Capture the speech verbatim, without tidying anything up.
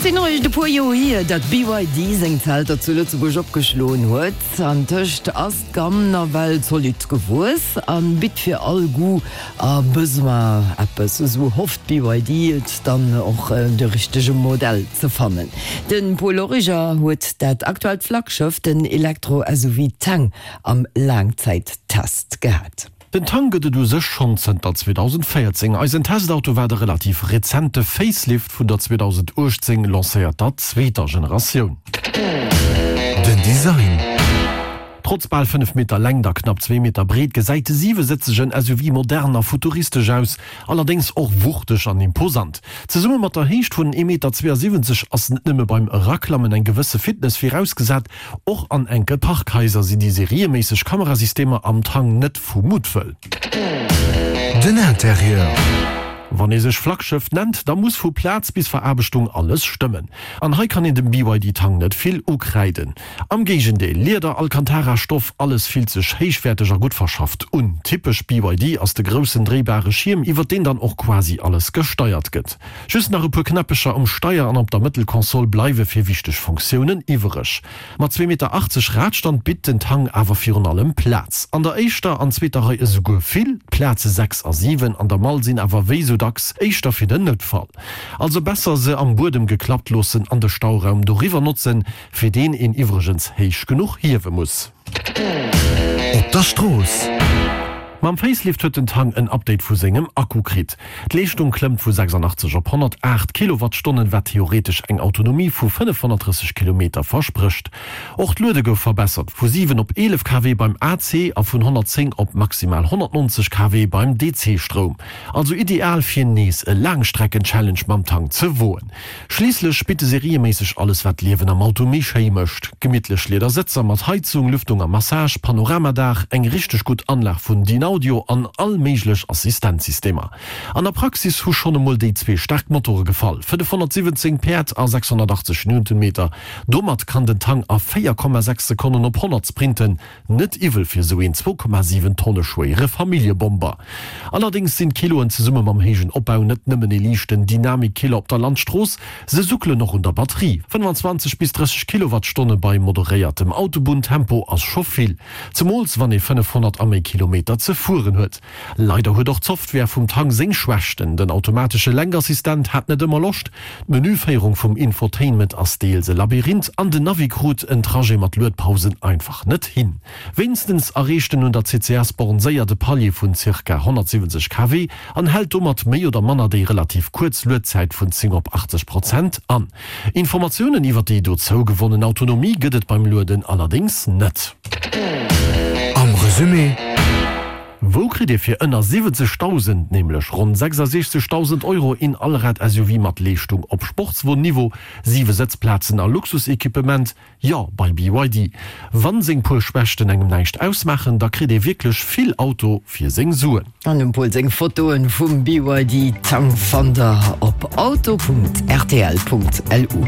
sinn eréischt e puer Joer hier, datt B Y D seng Zelter zu Lëtzebuerg opgeschloen huet. Antëscht ass d'Gamm nawell zolidd gewuess a bitt fir all Goût a Besoin eppes. Esou hofft B Y D et dann och de richtege Modell ze fannen. De Paul Origer huet dat aktuellt Flaggschëff, den Elektro-S U V Tang, am Laangzäittest gehat. Den Tang gëtt et u sech schonn zënter zweedausendvéierzéng. Eisen Testauto war de relativ rezente Facelift vun der zweedausendachtzéng lancéierter zweeter Generatioun. Den Design. Trotz bal fënnef Meter Längt a knapp zwee Meter Breet gesäit de siwesëtzegen S U V modern a futuristesch aus, allerdéngs och wuchteg an imposant. Zesumme mat der Héicht vun ee Meter zweeasiwwenzeg ass net nëmme beim Eraklammen eng gewësse Fitness virausgesat, och an enke Parkhaiser sinn déi serieméisseg Kamerasystemer am Tang net vu Muttwëll. Den Interieur. Wann ee sech Flaggschëff nennt, da muss vu Plaz bis Veraarbechtung alles stëmmen. An hei kann een dem B Y D Tang net vill ukräiden. Am Géigendeel, Lieder, Alcantara, Stoff, alles fillt sech héichwäerteg a gutt verschafft un. Typesch B Y D ass de groussen dréibare Schierm, iwwer deen dann och quasi alles gesteiert gëtt. Just nach e puer Knäppecher um Steier an op der Mëttelkonsol bleiwe fir wichteg Funktiounen iwwereg. Mat zwee Meter achtzeg Radstand bitt den Tang awer virun allem Plaz. An der éischter an zweeter Rei esouguer vill, d'Plaze sechs a siwen an der Mall sinn awer wéi sou dacks éischter fir den Noutfall. Also besser se am Buedem geklappt loossen an de Stauraum doriwwer notzen, fir deen een iwwregens héich genuch hiewe muss. Op der Strooss. Mam Facelift huet den Tang en Update vu sengem Akku kritt. D'Leeschtung klëmmt vu sechsandachtzeg op honnertaacht Kilowattstonnen, wat theoretesch eng Autonomie vu fënnefhonnertdrësseg Kilometer versprécht. Och d'Luede gouf verbessert, vu siwen op eelef K W beim A C a vun honnertzéng op maximal honnertnonzeg K W beim D C-Stroum. Also ideal fir nees e Laangstrecken-Challenge mam Tang ze woen. Schliisslech bitt e serieméisseg alles, wat d'Liewen am Auto méi schéi mécht, gemittlech Liedersëtzer mat Heizung, Lüftung a Massage, Panoramadaach, eng richteg gutt Anlag vun Dynaudio an all méiglech Assistenzsystemer. An der Praxis hu schonn emol déi zwee staark Motore gefall, fënnefhonnertsiwwenzéng Päerd a sechshonnertachtzeg Newtonmeter. Domat kann den Tang a véier Komma sechs Sekonnen op honnert sprinten, net iwwel fir esou een zwou Komma siwen Tonne schwéiere Familljebomber. Allerdéngs sinn d'Kiloen zesumme mam héijen Opbau net nëmmen ee liichten Dynamikkiller op der Landstrooss, se suckelen och un der Batterie. fënnfanzwanzeg bis drësseg Kilowattstonne bei moderéiertem Autobunntempo ass scho vill, zemools wann ee fënnefhonnert a méi Kilometer ze fueren huet. Leider huet och d'Software vum Tang seng Schwächten, den automatesche Lenkassistent hat net ëmmer Loscht, d'Menüféierung vum Infotainment ass deels e Labyrinth an den Navi krut en Trajet mat Luedpausen einfach net hin. Wéinstens erreecht en un der C C S-Born séier de Palier vun zirka honnertsiwwenzeg K W an hält domat méi oder manner déi relativ kuerz Luedzäit vun zéng op achtzeg Prozent an. Informatiounen iwwer déi dozou gewonnen Autonomie gëtt et beim Lueden allerdéngs net. Am Resumé. Wou kritt ee fir ënner siwwenzegdausend, nämlech ronn sechsasechzegdausend Euro, een Allrad-S U V mat Leeschtung op Sportswon-Niveau, siwe Sëtzplazen a Luxusequipement? Jo, bei B Y D. Wann seng puer Schwächten engem näischt ausmaachen, da kritt ee wierklech vill Auto fir seng Suen. An dem Paul seng Fotoen vum B Y D Tang fannt der op auto Punkt R T L Punkt L U.